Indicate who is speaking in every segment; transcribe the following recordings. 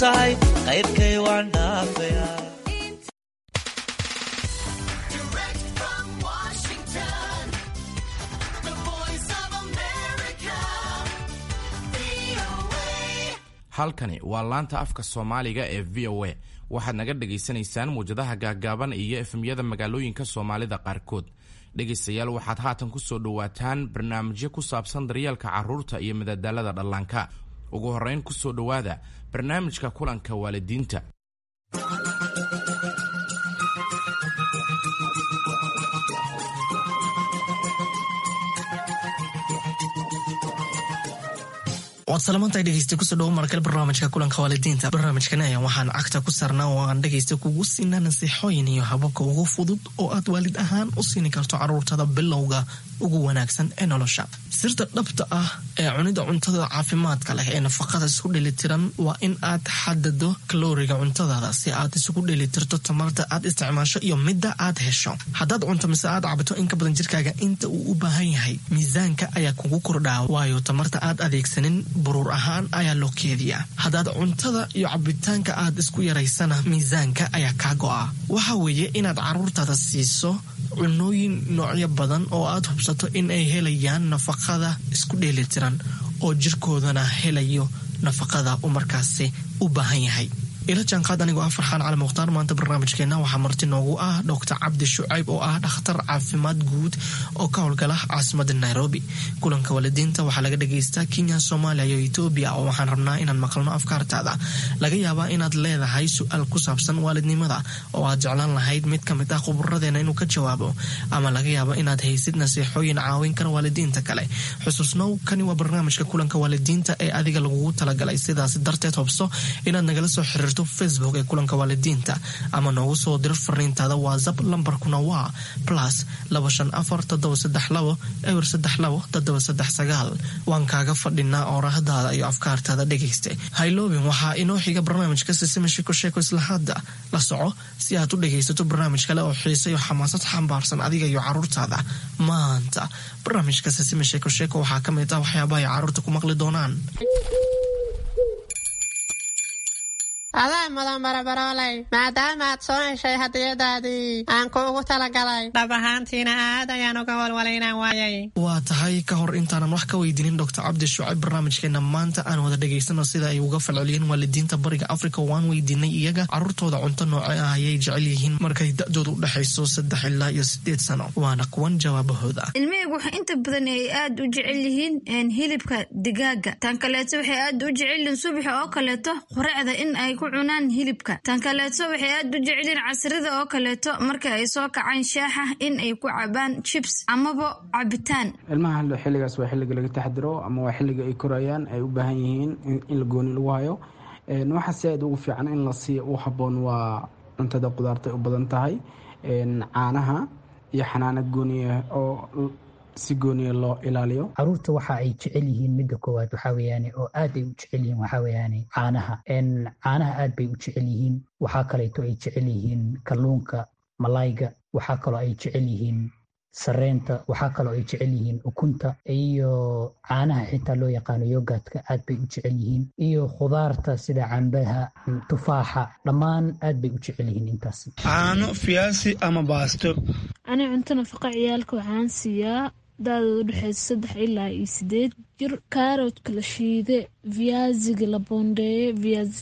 Speaker 1: tahay qayrkay waan dhaafayaa.
Speaker 2: Direct from Washington, the voice of America, VOA.
Speaker 3: Halkani waa laanta afka Soomaaliga ee VOA. Waxaad naga dhagaysanaysaan muwjadaha gaaggaaban iyo FM-yada magaalooyinka Soomaalida qaarkood. Dhegaystayaal, waxaad haatan ku soo dhowaataan barnaamijyo ku saabsan daryeelka carruurta iyo madadaalada dhallaanka. Ugu horrayn, ku soo dhowaada barnaamijka kulanka waalidiinta.
Speaker 4: Waad salamantahay dhegeysta, kusoo dhawo markale barnaamijka kulanka waalidiinta. Barnaamijkani ayaan waxaan cagta ku saarnaa oo aan dhegeysta kugu siinaa nasiixooyin iyo hababka ugu fudud oo aad waalid ahaan u siini karto caruurtada bilowga ugu wanaagsan ee nolosha. Sirta dhabta ah ee cunida cuntada caafimaadka leh ee nafaqada isku dheelitiran waa in aad xadado kalooriga cuntadaada si aad isugu dheelitirto tamarta aad isticmaasho iyo midda aad hesho. Haddaad cunto mise aad cabto in ka badan jirkaaga inta uu u baahan yahay, miisaanka ayaa kugu kordhaa, waayo tamarta aad adeegsanin buruur ahaan ayaa loo keediyaa. Haddaad cuntada iyo cabitaanka aad isku yaraysana, miisaanka ayaa kaa go'a. Waxa weeye inaad caruurtaada siiso cunooyin noocyo badan oo aad hubsato in ay helayaan nafaqada isku dheelitiran oo jirkoodana helayo nafaqada uu markaasi u baahan yahay. Ila jaanqaad anigoo ah Farxaan Cali Mukhtaar. Maanta barnaamijkeena waxaa marti noogu ah Doctor Cabdi Shucayb oo ah dhakhtar caafimaad guud oo ka howlgala caasimada Nairobi. Kulanka waalidiinta waxaa laga dhagaystaa Kenya, Soomaaliya iyo Etoobiya, oo waxaan rabnaa inaan maqalno afkaartaada. Laga yaabaa inaad leedahay su-aal ku saabsan waalidnimada oo aad jeclaan lahayd mid ka mid ah khuburadeena inuu ka jawaabo, ama laga yaabo inaad haysid nasiixooyin caawin kara waalidiinta kale. Xusuusnow, kani waa barnaamijka kulanka waalidiinta ee adiga lagugu talagalay. Sidaas darteed, hubso inaad nagala soo xiriirto Facebook ee kulanka waalidiinta ama noogu soo diro fariintaada WhatsApp. Lambarkuna waa +254 732 032 739. Waan kaaga fadhinaa oorahdaada iyo afkaartaada. Dhegayste, hayloobin, waxaa inoo xiga barnaamijka Sisima Shiko Sheeko. Isla hadda la soco si aad u dhegaysato barnaamij kale oo xiise iyo xamaasad xambaarsan adiga iyo caruurtaada. Maanta barnaamijka Sisima Sheeko Sheeko waxaa ka mid ah waxyaabaha ay caruurta ku maqli doonaan.
Speaker 5: Adaa mudan, barabarooley, maadaama aad soo heshay hadiyadaadii aan kuugu talagalay. Dhab ahaantiina aad ayaan uga walwalay inaan waayay.
Speaker 4: Waa tahay, ka hor intaanan wax ka weydiinin Doctor Cabdi Shucayb barnaamijkeena maanta, aan wada dhegaysano sida ay uga falceliyeen waalidiinta Bariga Afrika. Waan weydiinay iyaga caruurtooda cunto nooce ah ayay jecel yihiin markay da-doodu u dhexayso 3 ilaa iyo 8 sano. Waana kuwan jawaabahooda.
Speaker 6: Ilmahaygu waxay inta badan ay aad u jecel yihiin hilibka digaaga. Tan kaleeto, waxay aad u jecel yihiin subaxa oo kaleeto quraacda in ay ku cunaan hilibka. Tan kaleeto, waxay aad u jecel yihiin casrida oo kaleeto marka ay soo kacaan shaaxa in ay ku cabaan chips amaba cabitaan.
Speaker 7: Ilmaha xilligaas waa xilliga laga taxdiro ama waa xilliga ay korayaan, ay u baahan yihiin in la gooni lagu hayo. Waxa si aad ugu fiican in la siiyo u habboon waa cuntada qudaarta ay u badan tahay, caanaha iyo xanaano gooniya oo si gooniya loo ilaaliyo.
Speaker 8: Caruurta waxa ay jecel yihiin, midda koowaad waxaa weeyaane oo aad ay u jecel yihiin, waxaa weeyaane caanaha. Caanaha aad bay u jecel yihiin. Waxaa kaleeto ay jecel yihiin kalluunka, malayga. Waxaa kaloo ay jecel yihiin sareenta. Waxaa kaloo ay jecel yihiin ukunta iyo caanaha xitaa loo yaqaano yogurtka, aad bay u jecel yihiin, iyo khudaarta sida cambaha, tufaaxa, dhammaan aad bay u jecel yihiin intaas.
Speaker 9: Caano, fiyaasi ama baasto.
Speaker 10: Ani cunto nafaqa ciyaalka waxaan siiyaa da-dooda udhexeysa 3 ilaa iyo 8 jir kaaroodka la shiide, viyaasiga la boondeeye,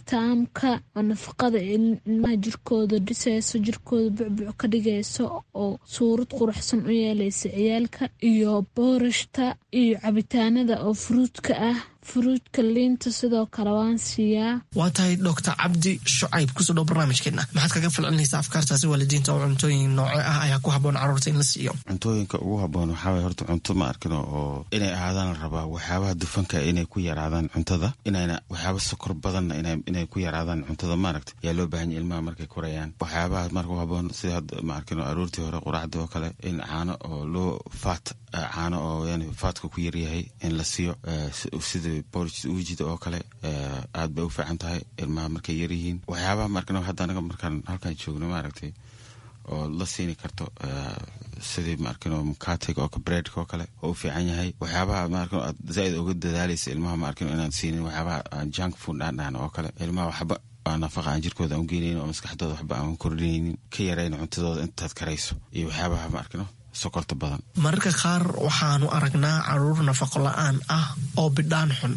Speaker 10: viyaasitaamka oo nafaqada ilmaha jirkooda dhiseyso, jirkooda bucbuc ka dhigayso oo suurad quruxsan u yeeleysa ciyaalka, iyo boorashta iyo cabitaanada oo furuudka ah, furuudka liinta sidoo kale waan siiyaa.
Speaker 4: Waa tahay, Doctor Cabdi Shucayb, kusoo dhow barnaamijkeena. Maxaad kaga falcelinaysaa afkaartaasi waalidiinta oo cuntooyin nooce ah ayaa ku habboon carruurta in la siiyo?
Speaker 11: Cuntooyinka ugu habboon waxaa waye horta cunto ma arkino oo inay ahaadaan la rabaa waxyaabaha dufanka inay ku yaraadaan cuntada, inayna waxyaaba sokor badanna inay ku yaraadaan cuntada, maaragta, yaa loo baahan yahay ilmaha markay korayaan. Waxyaabaha marka u habboon sida hadda, ma arkino, aroortii hore quraacdii oo kale in caano oo loo faat, caano oo yani faatka ku yaryahay in la siiyo, sida porridge uujida oo kale, aad bay u fiican tahay ilmaha markay yaryihiin. Waxyaabaha markano hadda anaga markaan halkaan joogno, maaragtay, oo la siini karto, sidii maarkino mukatiga oo breadka oo kale oo u fiican yahay. Waxyaabaha maarkino aad zaaid uga dadaalaysa ilmaha maarkino inaad siinin waxyaabaha junk food aan dhahno oo kale, ilmaha waxba nafaqa aan jirkooda aan ugeynaynin oo maskaxdooda waxba aan kordhinaynin, ka yarayn cuntadooda intaad karayso iyo waxyaabaha maarkino sokorta badan.
Speaker 4: Mararka qaar waxaanu aragnaa caruur nafaqo la-aan ah oo bidhaan xun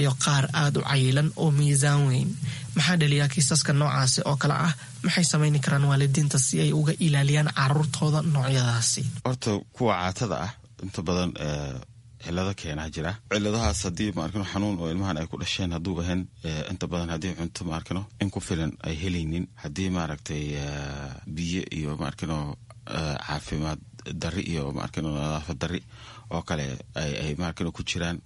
Speaker 4: iyo qaar aada u cayilan oo miisaan weyn. Maxaa dhaliyaa kiisaska noocaasi oo kale ah? Maxay samayni karaan waalidiinta si ay uga ilaaliyaan caruurtooda noocyadaasi?
Speaker 11: Horta kuwa caatada ah inta badan cilado keenaa jira. Ciladahaas haddii maarkino xanuun oo ilmahan ay ku dhasheen hadduu ahayn, inta badan haddii cunto maarkino in ku filan ay helaynin, haddii maaragtay biyo iyo maarkino caafimaad dari iyo maarkino nadaafad dari oo kale ay maarkino ku jiraan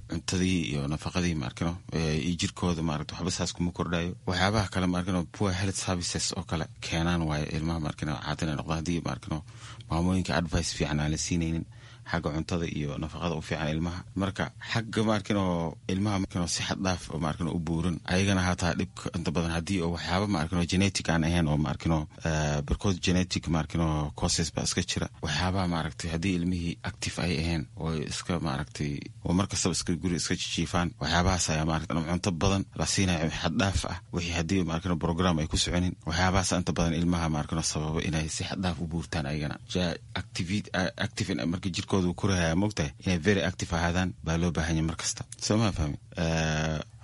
Speaker 11: cuntadii iyo nafaqadii maarkino iyo jirkooda maaragta waxba saas kuma kordhayo. Waxyaabaha kale maarkino poor health services oo kale keenaan waayo ilmaha maarkino caata inay noqdaan, haddii maarkino maamooyinka advice fiican aan la siinaynin xagga cuntada iyo nafaqada u fiican ilmaha. Marka xagga maarkino ilmaha maarkino si xad dhaaf oo maarkino u buuran ayagana hataa dhibka inta badan haddii oo waxyaaba maarkino genetic aan ahayn oo maarkino barkood genetic maarkino causes baa iska jira. Waxyaabaha maaragtay haddii ilmihii active ay ahayn oo iska maaragtay oo mar kastaba iska guri iska jijiifaan, waxyaabahaas ayaa maaragtay cunto badan la siinayo xad dhaaf ah, wixii haddii maarkino program ay ku soconin, waxyaabahaas inta badan ilmaha maarkino sababa inay si xad dhaaf u buurtaan ayagana. Active marka jirkooda uu korahaya, mogtahay inay very active ahaadaan baa loo baahan yahay mar kasta, soo ma fahmi?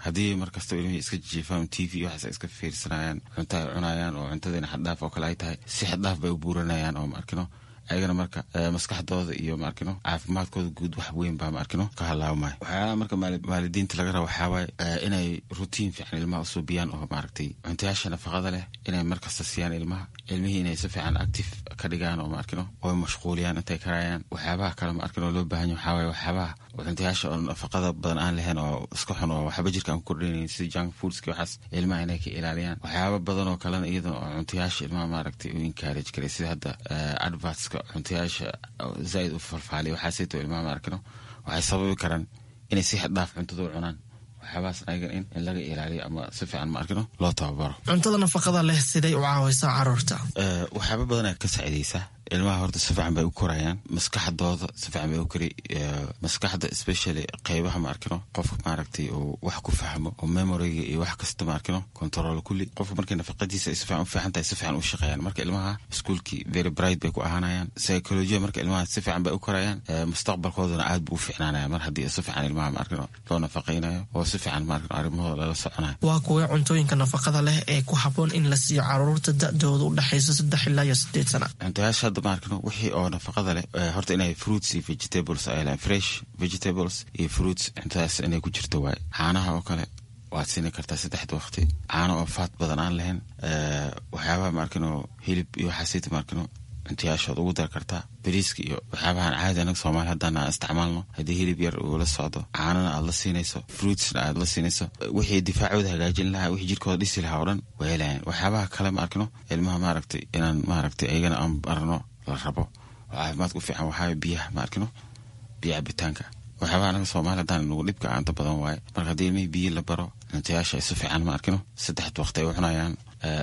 Speaker 11: Haddii mar kastaba ilmihii iska jijiifaan, TV waxaas ay iska fiirsanayaan, cunto ay cunayaan oo cuntadiina xaddhaaf oo kale ay tahay, si xaddhaaf bay u buuranayaan oo maarkino ayagana marka maskaxdooda iyo maarkino caafimaadkooda guud wax weyn baa maarkino ka halaabmaya. Waxyaalaha marka waalidiinta laga raba waxaa waaye inay routine fiican ilmaha usuubiyaan oo maaragtay cuntayaasha nafaqada leh inay markasta siiyaan ilmaha, ilmihii inay si fiican active ka dhigaan oo maarkino oo mashquuliyaan intay karayaan. Waxyaabaha kale maarkino loo baahan yahay waxaa waaye waxyaabaha cuntayaasha oo nafaqada badan aan lahayn oo iska xun oo waxba jirka aan ku kordhinaynin, sida junk foodska, waxaas ilmaha inay ka ilaaliyaan. Waxyaaba badan oo kalena iyadana oo cuntayaasha ilmaha maaragtay u encourage karay, sida hadda advertska cuntayaasha zaaid u falfaaliya, waxaasayto ilmaha maarkino waxay sababi karaan inay si xad dhaaf cuntada u cunaan. Waxyaabahaas ayaga in laga ilaaliyo ama si fiican maarkino loo tababaro.
Speaker 4: Cuntada nafaqada leh siday u caawaysaa caruurta?
Speaker 11: Waxyaaba badan ka saacidaysaa ilmaha. Horta si fiican bay u korayaan, maskaxdooda si fiican bay u kori, maskaxda especially qeybaha maarkino qofka maaragtay uu wax ku fahmo oo memoryga iyo wax kasta maarkino control kulli. Qofka markay nafaqadiisa ay si fiican u fiican tahay, si fiican u shaqeeyaan. Marka ilmaha iskuulkii very bright bay ku ahaanayaan, psychology marka ilmaha si fiican bay u korayaan, mustaqbalkoodana aad buu u fiicnaanaya mar haddii si fiican ilmaha maarkino loo nafaqaynayo oo si fiican maarkino arrimahooda lala soconayo.
Speaker 4: Waa kuwee cuntooyinka nafaqada leh ee ku habboon in la siiyo caruurta da-dooda u dhexaysa 3 ilaa iyo 8 sana?
Speaker 11: Cuntayaasha hadda maarkino wixii oo nafaqada leh, horta inay fruits iyo vegetables ay lehan, fresh vegetables iyo fruits cuntadaas inay ku jirto waaye. Caanaha oo kale waad siini kartaa saddexda waqti, caano oo faat badan aan lahayn. Waxyaabaha maarkino hilib iyo waxaasita maarkino cuntayaashood ugu dar kartaa. Bariiska iyo waxyaabahan caadi anaga Soomaali haddaan aan isticmaalno, haddii hilib yar uu la socdo, caanana aad la siinayso, fruitsna aad la siinayso, wixii difaacooda hagaajin lahaa, wixii jirkooda dhisi lahaa oo dhan way helayaan. Waxyaabaha kale ma arkino ilmaha maaragtay inaan maaragtay ayagana aan barno la rabo oo caafimaadka u fiican waxaa biyaha ma arkino, biyo cabitaanka. Waxyaabaha anaga Soomaali haddaan nagu dhibka inta badan waaye. Marka haddii ilmihii biyo la baro, cuntayaasha ay si fiican ma arkino saddexda waqti ay u cunayaan,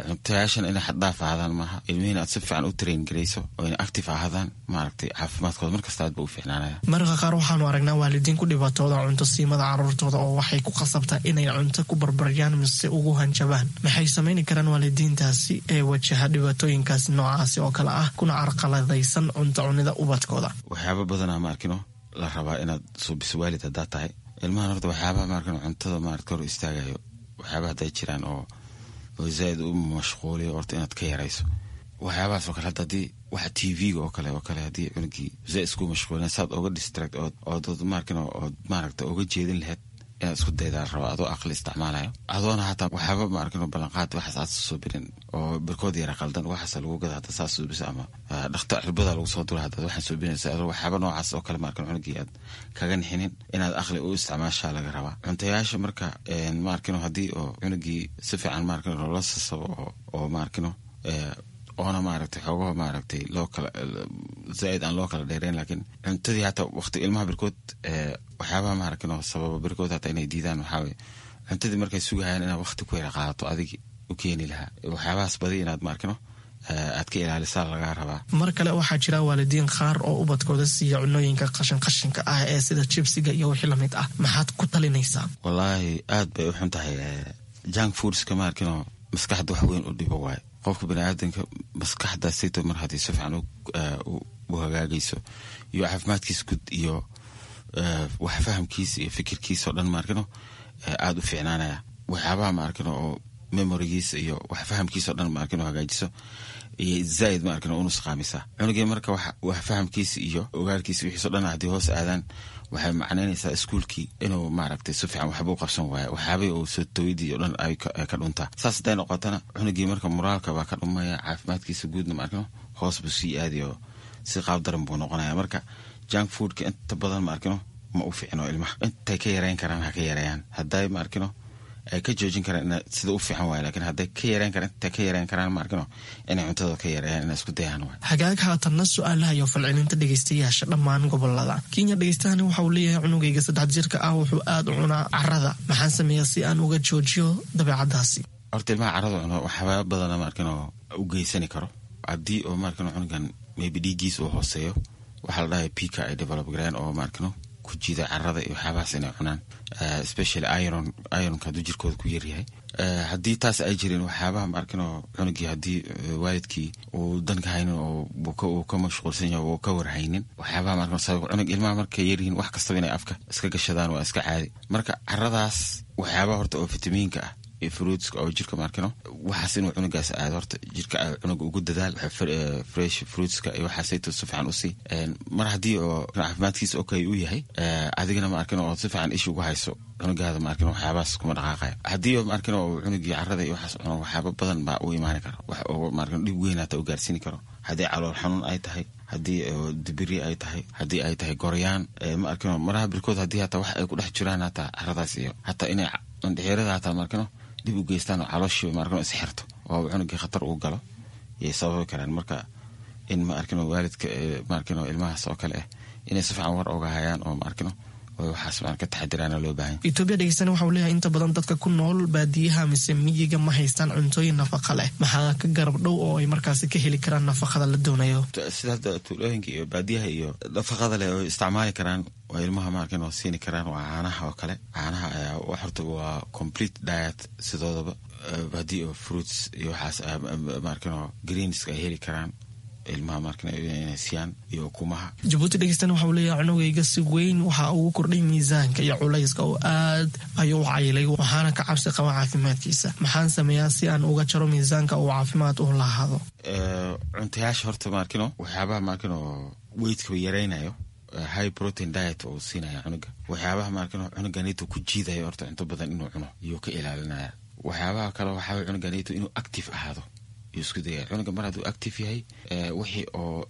Speaker 11: cuntayaashan inay xaddhaaf ahaadaan maaha, ilmihiina aad si fiican u train garayso oo inay active ahaadaan, maaragtay caafimaadkooda markasta aad ba u fiicnaanaya.
Speaker 4: Mararka qaar waxaanu aragnaa waalidiin ku dhibaatooda cunto siimada caruurtooda oo waxay ku khasabtaa inay cunto ku barbaryaan mise ugu hanjabaan. Maxay samayni karaan waalidiintaasi ee wajaha dhibaatooyinkaas noocaasi oo kale ah kuna carqaladaysan cunto cunida ubadkooda?
Speaker 11: Waxyaaba badanaa ma arkino la rabaa inaad suubiso waalid haddaad tahay ilmahan. Horta waxyaabaha maarkino cuntada maarata hor istaagayo, waxyaabaha hadday jiraan oo zaaid u mashquuliyo, horta inaad ka yarayso waxyaabahaas oo kale. Hadda haddii waxa TV-ga oo kale haddii cunugii zaaid isku mashquulin, saad oga distract ood maarkino ood maaragta oga jeedin lahayd inaad isku daydaa la rabaa, adoo aqli isticmaalayo, adoona hataa waxyaaba maarkino ballanqaad waxaas aad soo birin oo barkood yara qaldan waxaas lagu gada hadda saas suubisa ama dhakta cirbada lagu soo dura hadda waxaan suubinaysa adoo waxyaaba noocaas oo kale maarkino cunugii aad kaga nixinin, inaad aqli u isticmaashaa laga rabaa cuntayaasha. Marka maarkino haddii oo cunugii si fiican maarkino loola sasabo oo maarkino oona maaragtay xoogaha maaragtay loo kala zaaid aan loo kala dheereyn, laakiin cuntadii hataa waqti ilmaha barkood waxyaabaha maaragtay sababa barkood hataa inay diidaan waxaa waye cuntadii markay sugahayaan inaad waqti ku yara qaadato adigi u keeni lahaa, waxyaabahaas badi inaad maarkino Aad ka ilaalisaa lagaa rabaa.
Speaker 4: Mar kale, waxaa jira waalidiin qaar oo ubadkooda siiya cunooyinka qashin qashinka ah ee sida jibsiga iyo wixii lamid ah. Maxaad ku talinaysaa?
Speaker 11: Wallaahi, aad bay u xun tahay junk foodska. Ma arkino, maskaxda wax weyn u dhibo waayo. Qofka baniaadanka maskaxdaasito mar haddii si fiican u hagaagayso iyo caafimaadkiisa guud iyo wax fahamkiisa iyo fikirkiisa oo dhan, maarkino, aada u fiicnaanaya. Waxyaabaha, maarkino, oo memorygiisa iyo wax fahamkiisa o dhan, maarkino, hagaajiso iyo zaaid, maarkino, u nusqaamisa cunugii. Marka wax fahamkiisa iyo ogaalkiisa wixiis o dhan haddii hoos aadaan, waxay macnaynaysaa iskuulkii inuu, maaragtay, si fiican waxba u qabsan waayo, waxyaabihii uu soo tawidii o dhan ay ka dhuntaa. Saas hadday noqotana, cunugii marka moraalka baa ka dhumaya, caafimaadkiisa guudna, maarkino, hoos buu sii aadayo, si qaab daran buu noqonaya. Marka junk foodka inta badan, maarkino, ma u fiicno ilmaha. Intay ka yareyn karaan ha ka yareeyaan. Hadday, maarkino, ay ka joojin karaan ina sida u fiican waay, lakin hadday ka yareyn karaan, intay ka yareyn karaan, maarkino, inay cuntada ka yareeyaan, inay isku dayaan waay.
Speaker 4: Hagaag, haatanna su-aalaha iyo falcelinta dhegeystayaasha dhammaan gobolada Kenya. Dhegeystahani waxa uu leeyahay: cunugayga 3 jirka ah wuxuu aada u cunaa carada. Maxaan sameeyaa si aan uga joojiyo dabeecadaasi?
Speaker 11: Horta ilmaha carada cuno waxyaaba badana, maarkino, u geysani karo. Haddii oo, maarkino, cunugan maybe dhiiggiis uu hooseeyo, waxaa la dhahay pica ay develop gareen oo, maarkino, ku jiida carada iyo waxyaabahaas inay cunaan, especially iron. Ironka hadduu jirkooda ku yaryahay, haddii taas ay jirin, waxyaabaha, maarkino, cunugii haddii waalidkii uu danka haynin oo uu ka mashquulsan yahay, uu ka warhaynin waxyaabaha, maarkino, sabab cunug ilmaha markay yaryihiin wax kastaba inay afka iska gashadaan waa iska caadi. Marka caradaas waxyaabaha horta oo fitamiinka ah iyo fruitska oo jirka, maarkino, waxaas inuu cunugaas aado horta jirka cunuga ugu dadaal fresh fruitska iyo waxaasayto si fiican usii. Mar haddii oo caafimaadkiisa okay uu yahay, adigana, maarkino, oo si fiican isha ugu hayso cunugaada, maarkino, waxyaabahaas kuma dhaqaaqayo. Haddii oo, maarkino, oo cunugii carada iyo waxaas cuno, waxyaaba badan baa u imaani kara, wax oo, maarkino, dhib weyn hata u gaarsiini karo. Haddii calool xanuun ay tahay, haddii dibiri ay tahay, haddii ay tahay goryaan, ma arkino, maraha birkood haddii hataa wax ay ku dhex jiraan hataa caradaas iyo hataa inay indhexeerada hataa, maarkino, dib u geystaan oo calooshii, maarkino, is xirto oo cunugii khatar uu galo yay sababi karaan. Marka in, ma arkino, waalidka, maarkino, ilmahaas oo kale ah inay si fiican war oga hayaan oo, maarkino, oo waxaas maan ka taxadiraana loo baahan.
Speaker 4: Etoobiya dhegeystana waxa uu leeyahay: inta badan dadka ku nool baadiyaha mise miyiga ma haystaan cuntooyin nafaqa leh. Maxaa ka garab dhow oo ay markaasi ka heli karaan nafaqada la doonayo?
Speaker 11: Sida hadda tuulooyinka iyo baadiyaha iyo nafaqada leh oo isticmaali karaan oo ilmaha, maarkin, oo siini karaan waa caanaha oo kale. Caanaha ayaa horta waa complete diet sidoodaba. Haddii oo fruits iyo waxaas, maarkin, oo greenska ay heli karaan ilmaha, maarkin, inay siiyaan iyo ukumaha.
Speaker 4: Jabuuti dhegeystana waxa uu leeyahay: cunugayga si weyn waxa ugu kordhay miisaanka iyo culayska oo aad ayuu u cayilay, waxaana ka cabsi qaba caafimaadkiisa. Maxaan sameeyaa si aan uga jaro miisaanka uu caafimaad u lahaado?
Speaker 11: Cuntayaasha horta, maarkino, waxyaabaha, maarkino, weightka yaraynayo, high protein diet oo siinaya cunuga. Waxyaabaha, maarkino, cunuganito ku jiidayo horta cunto badan inuu cuno iyuu ka ilaalinaya. Waxyaabaha kale waxaa cunuganito inuu active ahaado yuu isku dayaya. Cunuga mar hadduu active yahay, wixii oo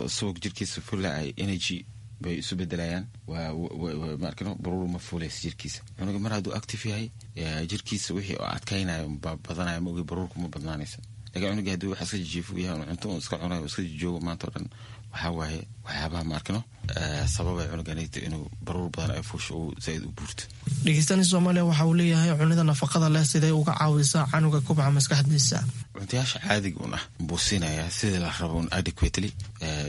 Speaker 11: subag jirkiisa fula ay energy bay isu bedelayaan. Waa, maarkino, baruur ma fuulaysa jirkiisa. Cunuga mar hadduu active yahay, jirkiisa wixii oo adkaynayo baa badanaya, ma ogi, baruurku ma badnaanaysa. Lakin cunuga haddii wax iska jijiifo yahay, cunto uu iska cunayo, iska jijoogo maanta o dhan, waxaa waaye waxyaabaha, maarkino, sababay cunuganita inuu baruur badan ay fuusho, uu zaaid u buurto.
Speaker 4: Dhegeystani Soomaaliya waxa uu leeyahay: cunida nafaqada leh sidee uga caawisaa canuga kubca maskaxdiisa?
Speaker 11: Cuntayaasha caadiga un ah buu siinayaa sidii la rabo un adequately,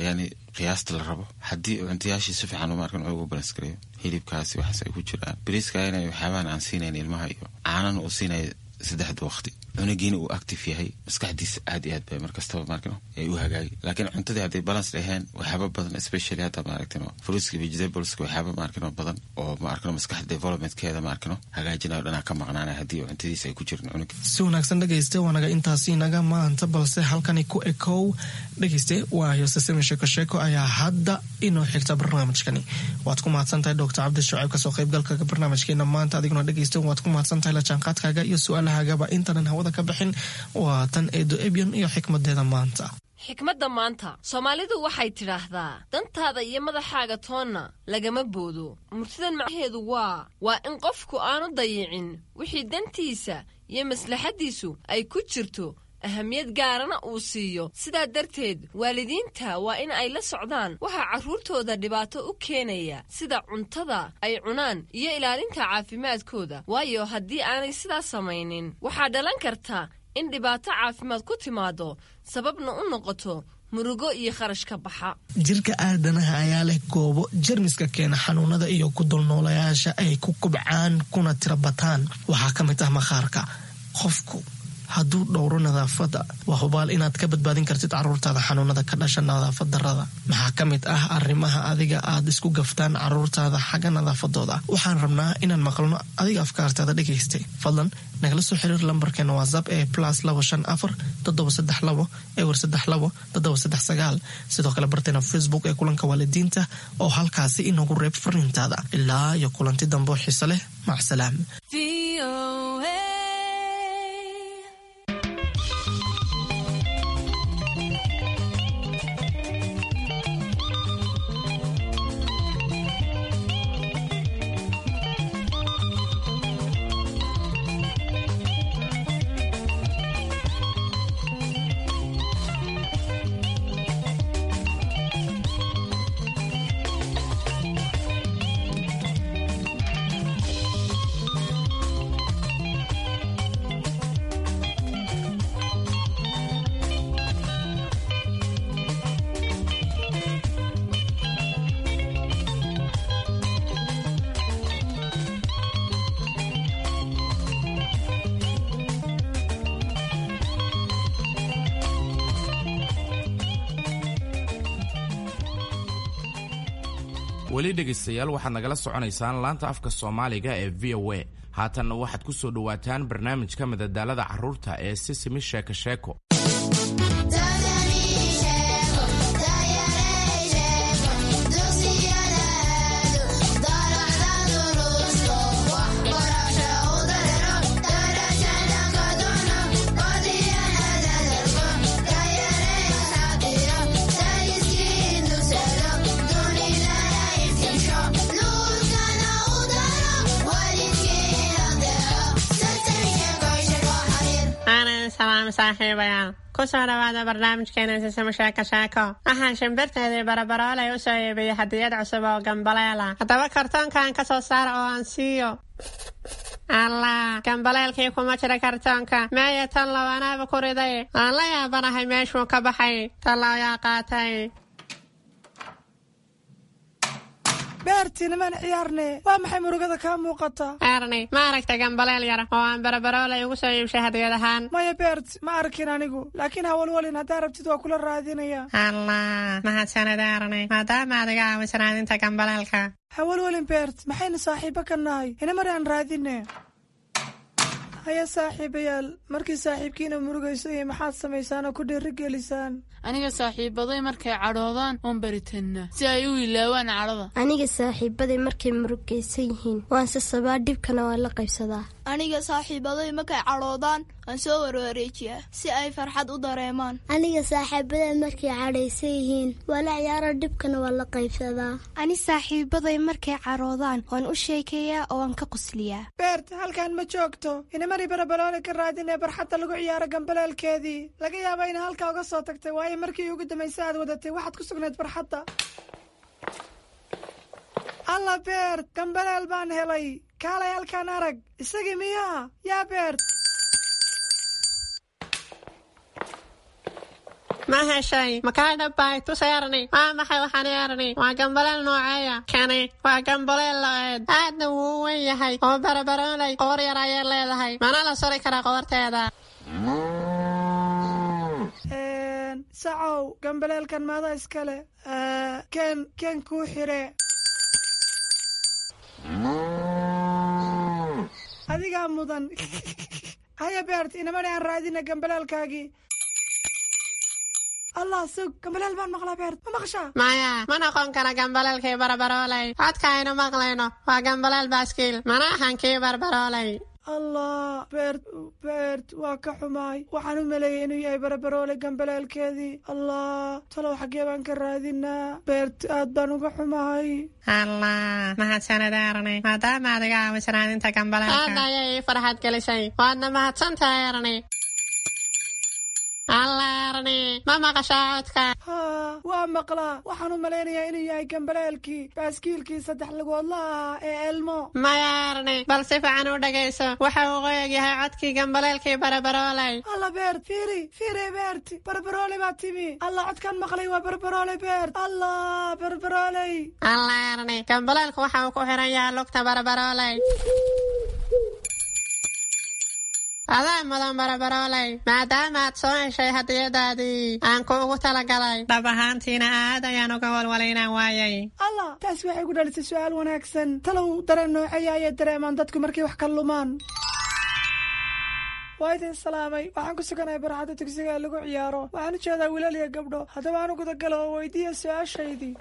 Speaker 11: yani qiyaasta la rabo. Haddii cuntayaashii si fiican, maarkan, ugu balance gareeyo, hilibkaasi waxaas ay ku jiraan, bariiska inay waxyaabahan aan siinayn ilmaha iyo caanana uu siinayo saddexda waqti, cunugiina uu active yahay, maskaxdiisa aad iyo aad bay markastaba, maarkino, ay u hagaagi. Laakiin cuntadii hadday balance dhaheen, waxyaaba badan, especially hadda, maaragtino, fruitska, vegetables, waxyaaba, maarkino, badan oo, maarkino, maskaxda developmentkeeda, maarkino, hagaajinayo dhanaa ka maqnaanaya haddii cuntadiisa ay ku jirin cunuga.
Speaker 4: Si wanaagsan dhegeyste, waanaga intaasi naga maanta, balse halkani ku ekow dhegeyste, waayo sasami sheeko sheeko ayaa hadda inoo xigta barnaamijkani. Waad ku mahadsan tahay, Doctor Cabdi Shucayb, kasoo qaybgalka barnaamijkeena maanta. Adiguna dhegeyste, waad ku mahadsan tahay la jaanqaadkaaga iyo su-aalahagaba. Intanan hawada ka bixin, waa tan Eedo Ebyon iyo xikmadeeda maanta.
Speaker 12: Xikmadda maanta, Soomaalidu waxay tidhaahdaa: dantaada iyo madaxaaga toonna lagama boodo. Murtidan macnaheedu waa in qofku aanu dayicin wixii dantiisa iyo maslaxaddiisu ay ku jirto, ahamiyad gaarana uu siiyo. Sidaa darteed waalidiinta waa in ay la socdaan waxaa carruurtooda dhibaato u keenaya, sida cuntada ay cunaan iyo ilaalinta caafimaadkooda, waayo haddii aanay sidaas samaynin waxaa dhalan karta in dhibaato caafimaad ku timaado, sababna u noqoto murugo iyo kharash ka baxa.
Speaker 4: Jirka aadanaha ayaa leh goobo jermiska keena xanuunada iyo ku dulnoolayaasha ay ku kubcaan kuna tira bataan. Waxaa ka mid ah maqaarka. Qofku hadduu dhowro nadaafadda, waa hubaal inaad ka badbaadin kartid caruurtaada xanuunada ka dhasha nadaafad darada. Maxaa ka mid ah arrimaha adiga aad isku gaftaan caruurtaada xagga nadaafadooda? Waxaan rabnaa inaan maqalno adiga afkaartaada dhegaystay. Fadlan nagala soo xiriir lambarkeena WhatsApp ee +254 732 032 739. Sidoo kale barteena Facebook ee Kulanka Waalidiinta oo halkaasi inoogu reeb fariintaada. Ilaa iyo kulanti dambe oo xiise leh, macsalaam.
Speaker 3: Weli dhegaystayaal, waxaad nagala soconaysaan laanta afka Soomaaliga ee VOA. Haatanna waxaad ku soo dhowaataan barnaamijka madadaalada carruurta ee Sisimi Sheeko Sheeko.
Speaker 5: Aanan salaam saaxiibayaal, kusoo dhawaada barnaamijkeena Sisimo Sheeko Sheeko. Waxaan shimbirteedii Barabaroolay u soo iibiyey hadiyad cusub oo gambaleela. Haddaba kartoonkan ka soo saara oo aan siiyo. Allah, gambaleelkii kuma jira kartoonka. Meeya tan low? Anaaba ku riday. Aan la yaabanahay meeshuu ka baxay. Tallow yaa qaatay?
Speaker 13: Beertiina maan ciyaarne, waa maxay murugada kaa muuqata?
Speaker 5: Erni, ma aragta gambaleel yar oo aan Barabaroolay ugu soo iibshay hadiyad ahaan?
Speaker 13: Maya Beert, ma arkin anigu, laakiin hawalwalin, haddaa rabtid waa kula raadinaya.
Speaker 5: Allah, mahadsanid Erni, maadaama aad iga caawisan raadinta gambaleelka.
Speaker 13: Hawalwalin Beert, maxaynu saaxiibo ka nahay? Ina mar aan raadine. Haya saaxiibayaal, markii saaxiibkiina murugayso iyo maxaad samaysaan oo ku dhiirigelisaan?
Speaker 14: Aniga saaxiibaday markay cadhoodaan oon baritannaa si ay u ilaawaan cadhada.
Speaker 15: Aniga saaxiibaday markay murugaysan yihiin waan sasabaa, dhibkana waan la qaybsadaa.
Speaker 16: Aniga saaxiibaday markay cadhoodaan waan soo warwareejiyaa si ay farxad u dareemaan.
Speaker 15: Aniga saaxiibaday markay cadhaysan yihiin waa la ciyaaro, dhibkana waan la qaybsadaa.
Speaker 17: Ani saaxiibaday markay cadhoodaan waan u sheekeeyaa oo waan ka qosliyaa.
Speaker 13: Beert, halkan ma joogto. Inamari Barabaloole ka raadinee barxadda lagu ciyaaro gambaleelkeedii. Laga yaaba ina halkaa uga soo tagtay, waayo markii ugu dambaysa aad wadatay waxaad ku sugnayd barxadda. Alla Beert, gambaleel baan helay! Kaalay halkaan arag. Isagii miyaa? Yaa Beert?
Speaker 5: Ma heshay? Makaa dhabbay? Tus Erni. Waa maxay waxaan Erni? Waa gambaleel nooceeya kani? Waa gambaleel lo'eed, aadna wuu u weyn yahay oo Barabaroolay qoor yar ayay leedahay, mana la suri karaa qoorteeda.
Speaker 13: Sacow, gambaleelkan maada iskale? Ken ken kuu xire. Adigaa mudan. Haya Beert, inamani aan raadina gambaleelkaagii. Allah, sug, gambaleel baan maqlaa. Beert, ma maqashaa?
Speaker 5: Maya, ma noqon kara gambaleelkii Barabaroolay. Codka aynu maqlayno waa gambaleel baaskiil, mana ahan kii Barbaroolay.
Speaker 13: Allah Beert, Beert, waa ka xumaay. Waxaan u maleeyay inuu yahay Barabaroole gambaleelkeedii. Allah, talow xaggee baan ka raadinaa? Beert, aad baan uga xumahay.
Speaker 5: Allah, mahadsanid Erni, maadaama aad iga caawisan raadinta gambaleelka. Aad ayay ii farxad gelisay, waadna mahadsantahay Erni. Alla Erni, ma maqashaa codka?
Speaker 13: Haa, waa maqlaa. Waxaan u malaynayaa inuu yahay gambaleelkii baaskiilkii saddex lugoodla ahaa ee Elmo.
Speaker 5: Maya Erni, bal si fiican u dhegayso. Waxa uu qoyag yahay codkii gambaleelkii Barabarooley.
Speaker 13: Alla Beert, fiiri fiiri, Beert, Barbarooley baa timi. Alla, codkan maqlay waa Barbarooley. Beert, allah, Barbarooley!
Speaker 5: Alla Erni, gambaleelku waxa uu ku xiran yahay lugta Barabarooley. Adaa mudan Barabarooley, maadaama aad soo heshay hadiyadaadii aan kuugu talagalay. Dhab ahaantiina aad ayaan uga walwalay inaan waayay.
Speaker 13: Allah, taasi waxay ku dhalisay su-aal wanaagsan. Talow dareen nooceeya ayay dareemaan dadku markay wax ka lumaan? Waa idin salaamay. Waxaan ku suganahay barxadda dugsiga ee lagu ciyaaro. Waxaan u jeedaa wiilal iyo gabdho. Haddaba aan u gudagalo oo weydiiya su-aashaydii.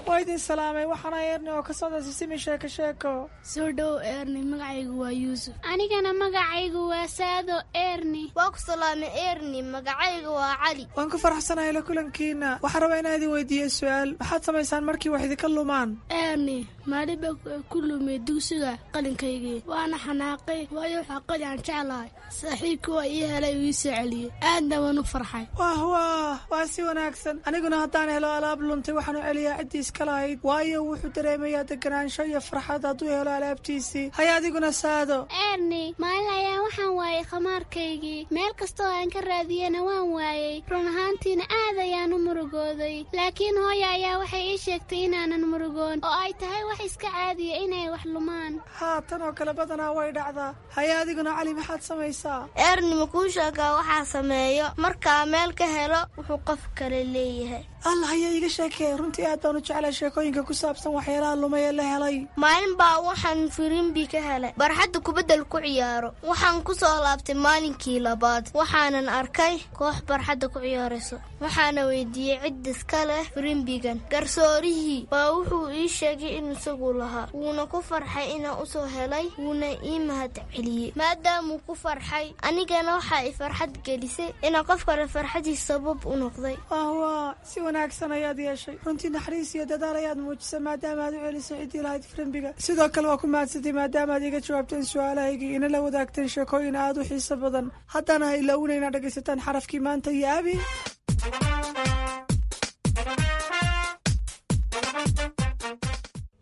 Speaker 13: Waa idin salaamay. Waxaana Erni oo ka socda Sisimi Sheeko Sheeko.
Speaker 15: Soo dhow Erni, magacaygu waa Yuusuf.
Speaker 18: Anigana magacaygu waa Saado Erni.
Speaker 17: Waa ku salaamay Erni, magacayga waa Cali.
Speaker 13: Waan ku faraxsanahay la kulankiina. Waxaan rabaa inaan idin weydiiyo su-aal. Maxaad samaysaan markii wax idinka lumaan?
Speaker 15: Erni, maalin baa ku lumay dugsiga qalinkaygii, waana xanaaqay, waayo waxaa qali aan jeclahay. Saaxiibkii waa ii helay, uu ii soo celiyey, aadna waan u farxay.
Speaker 13: Wah wah, waa si wanaagsan. Aniguna haddaan helo alaab luntay, waxaan u celiyaa ciddii iska lahayd, waayo wuxuu dareemayaa deganaansho iyo farxad hadduu helo alaabtiisii. Haya, adiguna Saado?
Speaker 18: Erni, maalin ayaa waxaan waayay khamaarkaygii. Meel kastoo aan ka raadiyena waan waayey. Run ahaantiina aad ayaan u murugooday, laakiin hooya ayaa waxay ii sheegtay inaanan murugoon oo ay tahay wax iska caadiya inay wax lumaan.
Speaker 13: Haa, tan oo kale badanaa way dhacdaa. Haya, adiguna Cali, maxaad samaysaa?
Speaker 17: Erni, ma kuu sheegaa waxaa sameeyo markaa meel ka helo wuxuu qof kale leeyahay?
Speaker 13: Allah, haya, iiga sheekee. Runtii aad baan u jeclay sheekooyinka ku saabsan waxyaalaha lumay ee la helay.
Speaker 17: Maalin baa waxaan firimbi ka helay barxadda kubaddal ku ciyaaro. Waxaan ku soo laabtay maalinkii labaad, waxaanan arkay koox barxadda ku ciyaarayso. Waxaana weydiiyey cid iska leh firimbigan. Garsoorihii baa wuxuu ii sheegay in isagu lahaa, wuuna ku farxay inaan usoo helay, wuuna ii mahad celiyey maadaamuu ku farxay. Anigana waxaa i farxad gelisay inaan qof kale farxadiis sabab u noqday.
Speaker 13: Wah, si wanaagsan ayaad yeeshay. Runtii naxariis iyo dadaal ayaad muujisay maadaama aad u celisay ciddii lahayd firimbiga. Sidoo kale waa ku mahadsantay maadaama aad iga jawaabteen su-aalahaygii, ina la wadaagteen sheekooyin aad u xiiso badan. Haddana ha ilaawina inaad dhegaysataan xarafkii maanta iyo Abi.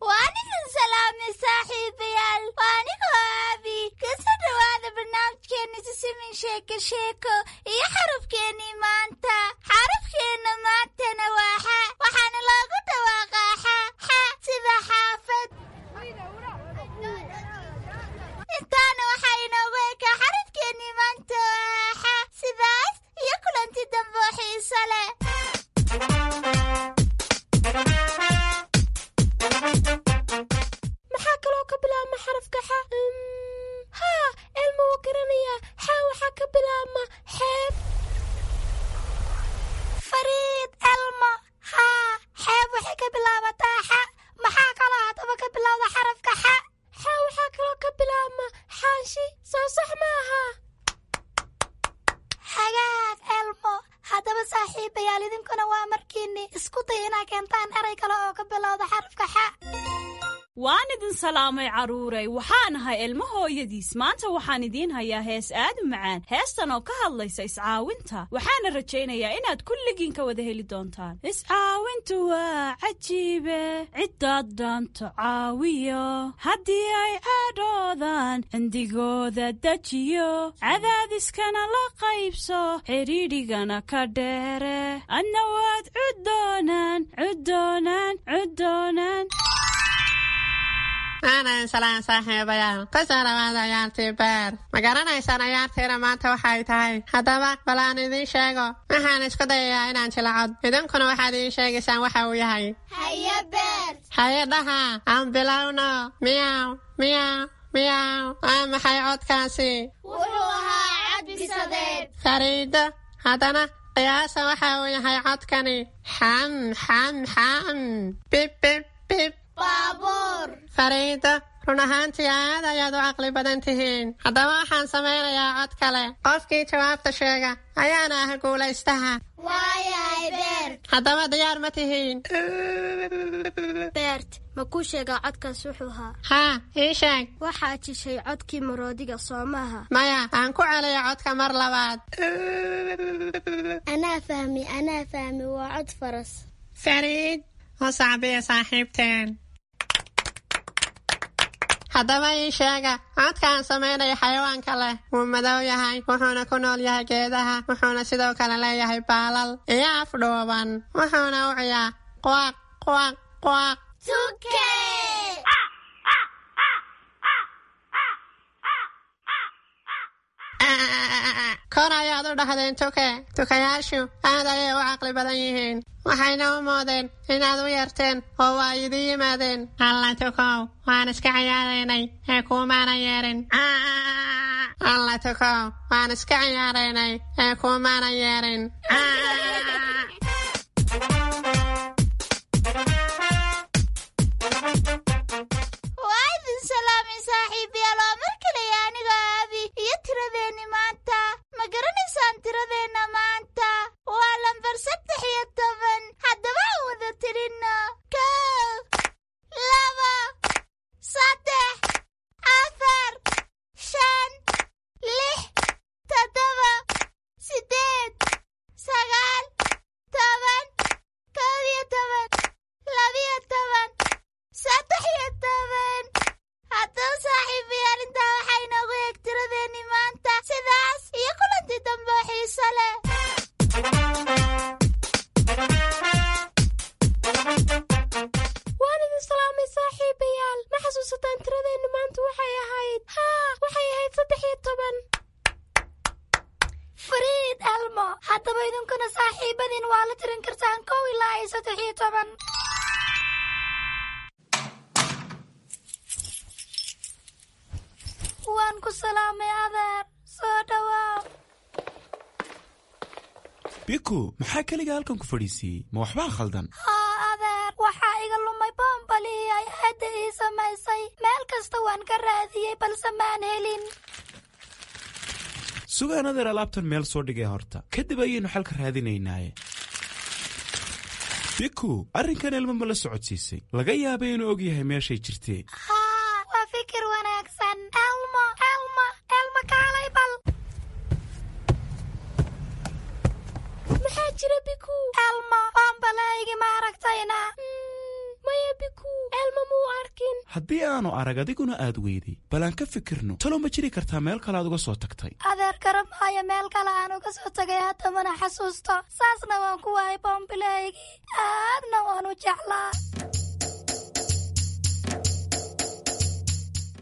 Speaker 18: Waan idin salaamay saaxiibayaal, waa anigoo Aabi. Kasoo dhowaada barnaamijkeena Sisimin Sheeko Sheeko iyo xarafkeennii maanta. Xarafkeenna maantana waa xa, waxaana loogu dhawaaqaa xa xa, sida xaafad. Intaana waxaa inoogu ekaa xarafkeennii maanta waa xa. Sidaas iyo kulanti dambe oo xiiso leh. Maxaa kaloo ka bilaabma xarafka xa? Haa, Elma wuu garanayaa. Xa waxaa ka bilaabma xeeb. Fariid Elma, haa, xeeb waxay ka bilaabataa xa. Maxaa kaloo haddaba ka bilowda xarafka xa? Xa waxaa kaloo ka bilaabma xaanshi, soo sax maaha? Hagaag Elmo. Haddaba saaxiibayaal, idinkuna waa markiinni isku day inaa keentaan eray kale oo ka bilowda xarafka xa.
Speaker 19: Waan idin salaamay carruuray. Waxaan ahay Ilmo hooyadiis. Maanta waxaan idiin hayaa hees aad u macaan, heestan oo ka hadlaysa iscaawinta. Waxaana rajaynayaa inaad kulligiin ka wada heli doontaan. Iscaawintu waa cajiibe, ciddaad dhaanto caawiyo, haddii ay cadhoodaan cindigooda dejiyo, cadaadiskana la qaybso, xidhiidhigana ka dheere, adna waad cuddoonaan cuddoonaan cuddoonaan.
Speaker 5: Aanan salaan saaxiibayaal, kusoo dhawaada ciyaartii beer. Ma garanaysaan ciyaartiina maanta waxay tahay? Haddaba bal aan idiin sheego. Waxaan isku dayayaa inaan jilacod, idinkuna waxaad idiin sheegaysaan waxa uu yahay.
Speaker 18: Haye Beer.
Speaker 5: Haye dhaha, aan bilowno. Miyaw miyaw miyaw, waa maxay codkaasi?
Speaker 18: Wuxuu ahaa cadbisadeed.
Speaker 5: Fariido, haddana qiyaasa waxa uu yahay codkani. Xam xam xam, bib bib bib.
Speaker 18: Baabuur.
Speaker 5: Fariido, Run ahaantii aad ayaad u caqli badan tihiin. Haddaba waxaan samaynayaa cod kale. Qofkii jawaabta sheega ayaana ah guulaystaha.
Speaker 17: Waayahay Beert.
Speaker 5: Haddaba diyaar ma tihiin?
Speaker 17: Beert, ma kuu sheegaa codkaas wuxuu ahaa?
Speaker 5: Haa, ii sheeg.
Speaker 17: Waxaad jishay codkii maroodiga, soo maaha?
Speaker 5: Maya, aan ku celiyo codka mar labaad.
Speaker 17: Anaa fahmi, anaa fahmi, waa cod faras.
Speaker 5: Fariid, u sacbiya saaxiibteen. Haddaba ii sheega codka aan samaynayo xayawaanka leh. Wuu madow yahay, wuxuuna ku nool yahay geedaha, wuxuuna sidoo kale leeyahay baalal iyo af dhuuban, wuxuuna u ciyaa quaq quaq quaq.
Speaker 17: Tuke!
Speaker 5: Kor ayaad u dhahdeen tuke. Tukayaashu aad ayay u caqli badan yihiin, waxayna u moodeen inaad u yeerteen oo waa idin yimaadeen. Alla tukow, waan iska ciyaaraynay ee kuumaana yeerin. Alla tukow, waan iska ciyaaraynay ee kuumaana yeerin.
Speaker 18: Waa idin salaamay saaxiibayaal, waa mar kaleya anigoo Aabi iyo tiradeenni maanta. Ma garanaysaan tiradeenna maanta? Waa lambar 13. Haddaba aan wada tirinno: 1, 2, 3, 4, 5, 6, 7, 8, 9, 10, 11, 12, 13. Haddaba saaxiibayaal, intaa waxaa inoogu eeg tiradeenni maanta. Sidaas iyo kulantii dambe oo xiiso leh.
Speaker 15: Waan idin salaamay saaxiibayaal. Ma xasuusataan tiradeennu maanta waxay ahayd? Haa, waxay ahayd 13.
Speaker 18: Fariid, Elmo, haddaba idinkuna saaxiibadiin waa la tirin kartaan 1 ilaa iyo 13. Waan ku salaamay adeer, soo dhawaaw.
Speaker 20: Biku, maxaa keliga halkan ku fadhiisiiyey? Ma waxbaa khaldan?
Speaker 18: Haa adeer, waxaa iga lumay boombalihii ay aadda ii samaysay. Meel kasta waan ka raadiyey balse maan helin.
Speaker 20: Sugaan adeer, alaabtan meel soo dhigay horta, kadib ayaynu xalka raadinaynaaye. Biku, arrinkan Ilmo ma la socodsiisay? Laga yaabay inuu og yahay meeshay jirtee.
Speaker 18: Haa, waa fikir wanaagsan. Elmo, Elmo, Elmo, kaalay bal.
Speaker 15: Maxaa jira Biku?
Speaker 18: Elmo, boombalahaygi ma aragtayna?
Speaker 15: Maya Biku, Elmo muu arkin.
Speaker 20: Haddii aanu arag adiguna aad weyday, bal aan ka fikirno. Talo ma jiri kartaa meel kale aad uga soo tagtay?
Speaker 18: Adeer, garan maayo meel kale aan uga soo tagay, hadda mana xasuusto. Saasna waan ku waayay boombilahaygii, aadna waan u jeclaa.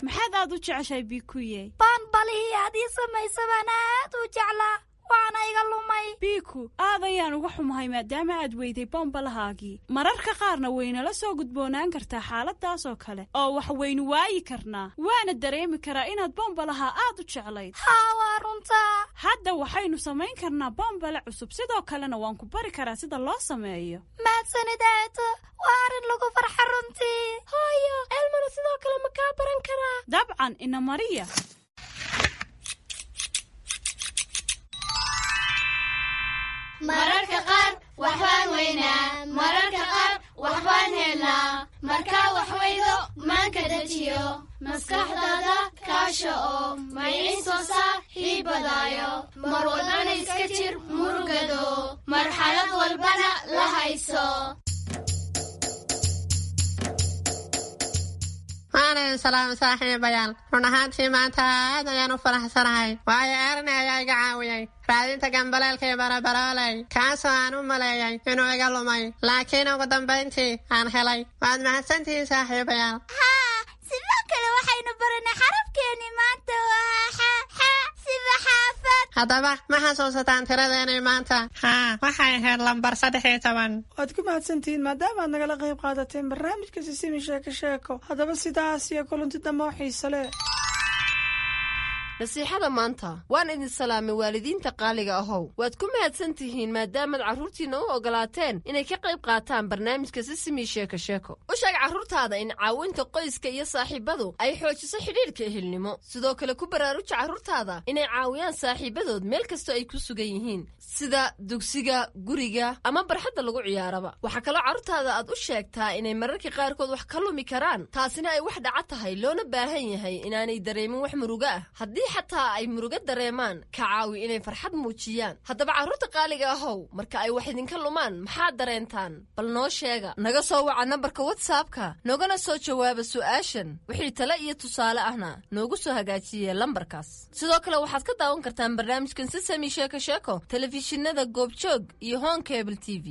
Speaker 19: Maxaad aad u jeceshahay Bikuye?
Speaker 18: Baanbalihii aad ii samaysa baan aad u jeclaa, waana iga lumay.
Speaker 19: Biku, aad ayaan uga xumahay maadaama aad weyday bombalahaagii. Mararka qaarna waynala soo gudboonaan kartaa xaaladaas oo kale oo wax waynu waayi karnaa, waana dareemi karaa inaad bombalaha aad u jeclayd.
Speaker 18: Haa, waa runtaa.
Speaker 19: Hadda waxaynu samayn karnaa bombale cusub, sidoo kalena waan ku bari karaa sida loo sameeyo.
Speaker 18: Mahadsanid aato, waa arrin lagu farxa runtii.
Speaker 15: Hooyo, Elmona sidoo kale ma kaa baran karaa?
Speaker 19: Dabcan, ina mariya.
Speaker 21: Mararka qaar waxbaan weynaa, mararka qaar waxbaan helnaa. Markaa wax weydo maanka dejiyo, maskaxdaada kaasha oo mayciin soo saar hiibadaayo. Mar walbana iska jir murugado, marxalad walbana la hayso.
Speaker 5: Waan idin salaamay saaxiibayaal. Run ahaantii maanta aad ayaan u faraxsanahay, waayo Erni ayaa iga caawiyey raadinta gambaleelkii barabarooley, kaasoo aan u maleeyay inuu iga lumay, laakiin ugu dambayntii aan helay. Waad mahadsantihiin saaxiibayaal.
Speaker 18: Haa, sidoo kale waxaynu baranay xarafkeenni maanta waa xa, xa sida xaafad.
Speaker 5: Haddaba ma xasuusataan tiradeenii maanta? Haa, waxay ahayd lambar 13.
Speaker 13: Waad ku mahadsantihiin maadaama aad nagala qayb qaadateen barnaamijka Sisimi Sheeko Sheeko. Haddaba sidaas iyo kulanti dambe oo xiise leh.
Speaker 12: Nasiixada maanta. Waan idin salaamay, waalidiinta qaaliga ahow. Waad ku mahadsan tihiin maadaamaad carruurtiinna u ogolaateen inay ka qayb qaataan barnaamijka Sisimi Sheeko Sheeko. U sheeg carruurtaada in caawinta qoyska iyo saaxiibadu ay xoojiso xidhiidhka ehelnimo. Sidoo kale ku baraaruja carruurtaada inay caawiyaan saaxiibadood meel kastoo ay ku sugan yihiin, sida dugsiga, guriga ama barxadda lagu ciyaaraba. Waxaa kaloo carruurtaada aad u sheegtaa inay mararka qaarkood wax ka lumi karaan, taasina ay wax dhaca tahay, loona baahan yahay inaanay dareemin wax murugo ah. Haddii xataa ay murugo dareemaan, ka caawi inay farxad muujiyaan. Haddaba carruurta qaaliga ahow, marka ay wax idinka lumaan maxaad dareentaan? Bal noo sheega. Naga soo waca nambarka WhatsAppka, noogana soo jawaaba su'aashan. Wixii tale iyo tusaale ahna noogu soo hagaajiye lambarkaas. Sidoo kale waxaad ka daawan kartaan barnaamijkan Sisami Sheeko Sheeko telefishinada Goobjoog iyo Horn Cable TV.